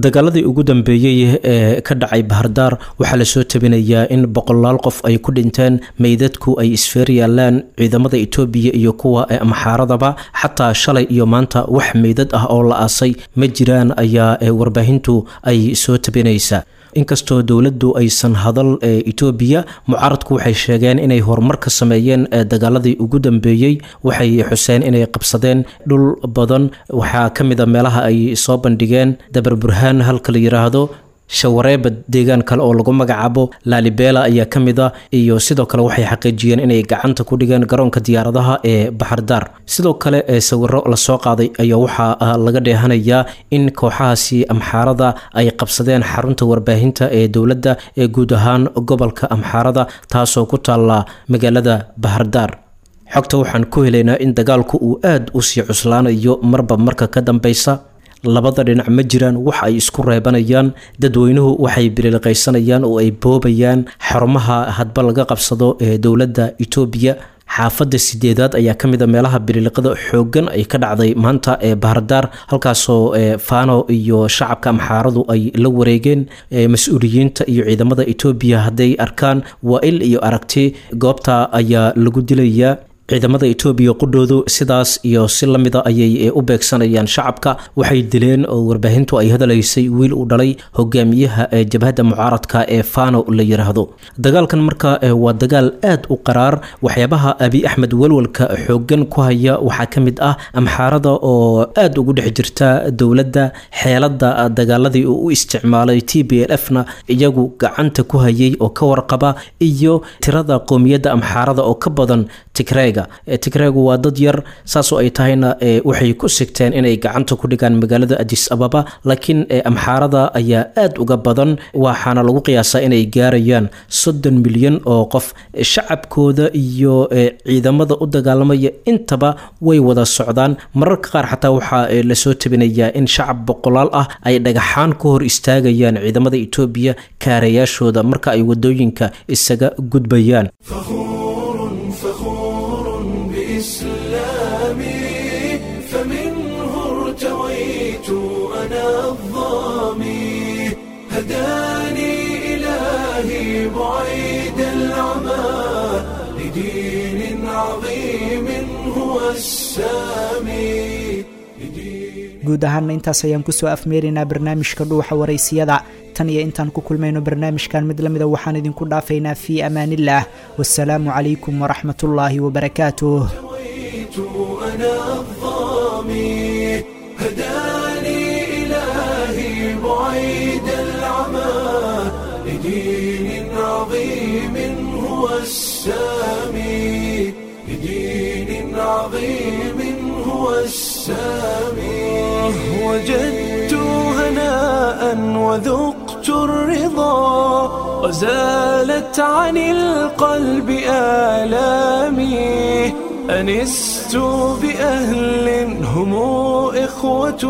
Dagaaladii ugu dambeeyey ee ka dhacay Bahardaar waxaa lasoo tabinayaa in boqolaal qof ay ku dhinteen, meydadku ay isfeer yaalaan, ciidamada Itoobiya iyo kuwa Amxaaradaba. Xataa shalay iyo maanta wax meydad ah oo la aasay ma jiraan ayaa warbaahintu ay soo tabinaysaa. Inkastoo dowladdu aysan hadal ee Itoobiya, mucaaradku waxay sheegeen inay horumar ka sameeyeen dagaaladii ugu dambeeyey. Waxay xuseen inay qabsadeen dhul badan. Waxaa ka mid a meelaha ay soo bandhigeen Dabar Burhaan halka la yiraahdo, Shawareeba, deegaan kale oo lagu magacaabo Lalibela ayaa ka mid ah, iyo sidoo kale waxay xaqiijiyeen inay gacanta ku dhigeen garoonka diyaaradaha ee Baxardaar. Sidoo kale sawiro lasoo qaaday ayaa waxaa laga dheehanayaa in kooxahaasi Amxaarada ay qabsadeen xarunta warbaahinta ee dowladda ee guud ahaan gobolka Amxaarada, taasoo ku taalla magaalada Bahardaar. Xogta waxaan ku helaynaa in dagaalku uu aada u sii cuslaanayo marba marka ka dambeysa. Labada dhinac ma jiraan wax ay isku reebanayaan. Dadweynuhu waxay bililiqaysanayaan oo ay boobayaan xarumaha hadba laga qabsado ee dowladda Itoobiya. Xaafadda sideedaad ayaa ka mid a meelaha bililiqada xooggan ay ka dhacday maanta ee Bahardaar, halkaasoo Fano iyo shacabka Amxaaradu ay la wareegeen. Mas-uuliyiinta iyo ciidamada Itoobiya hadday arkaan waa il iyo aragti, goobta ayaa lagu dilayaa. Ciidamada Itoobiya qudhoodu sidaas iyo si lamida ayay u beegsanayaan shacabka. Waxay dileen oo warbaahintu ay hadalaysay wiil uu dhalay hogaamiyaha jabhadda mucaaradka ee Fano la yiraahdo. Dagaalkan marka waa dagaal aad u qaraar. Waxyaabaha Abi Axmed walwalka xooggan ku haya waxaa ka mid ah Amxaarada oo aada ugu dhex jirta dowladda, xeelada dagaaladii uu u isticmaalay TPLF na iyagu gacanta ku hayay oo ka warqaba, iyo tirada qowmiyadda Amxaarada oo ka badan Tigreega. Tigreegu waa dad yar, saasoo ay tahayna waxay ku sigteen inay gacanta ku dhigaan magaalada Adis Ababa, laakiin Amxaarada ayaa aada uga badan, waxaana lagu qiyaasaa inay gaarayaan 30 milyan oo qof. Shacabkooda iyo ciidamada u dagaalamaya intaba way wada socdaan. Mararka qaar xataa waxaa lasoo tabinayaa in shacab boqolaal ah ay dhagaxaan ku hor istaagayaan ciidamada Itoobiya kaarayaashooda marka ay wadooyinka isaga gudbayaan. فخور بإسلامي، فمنه ارتويت أنا الظامي، هداني إلهي بعيد العمى لدين عظيم هو السامي. Guud ahaanna intaas ayaan kusoo afmeeraynaa barnaamijka Dhuuxa Waraysiyada. Tan iyo intaan ku kulmayno barnaamijkan mid lamida, waxaan idinku dhaafaynaa fii amaanillaah, wasalaamu calaykum waraxmatullaahi wabarakaatuh. أنا الظامي، هداني إلهي بعيد العمى لدين عظيم هو السامي، لدين عظيم هو السامي. وجدت هناء وذقت الرضا وزالت عن القلب آلامي. أنست بأهل هم إخوة،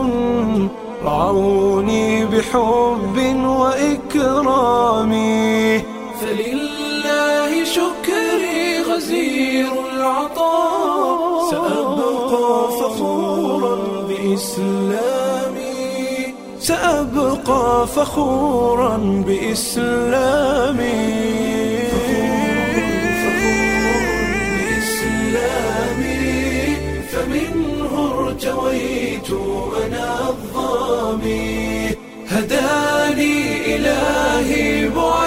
رعوني بحب وإكرام. فلله شكري غزير العطاء، سأبقى فخورا بإسلامي، سأبقى فخورا بإسلامي. بإسلامي. ارتويت أنا الظامي هداني إلهي بعيد.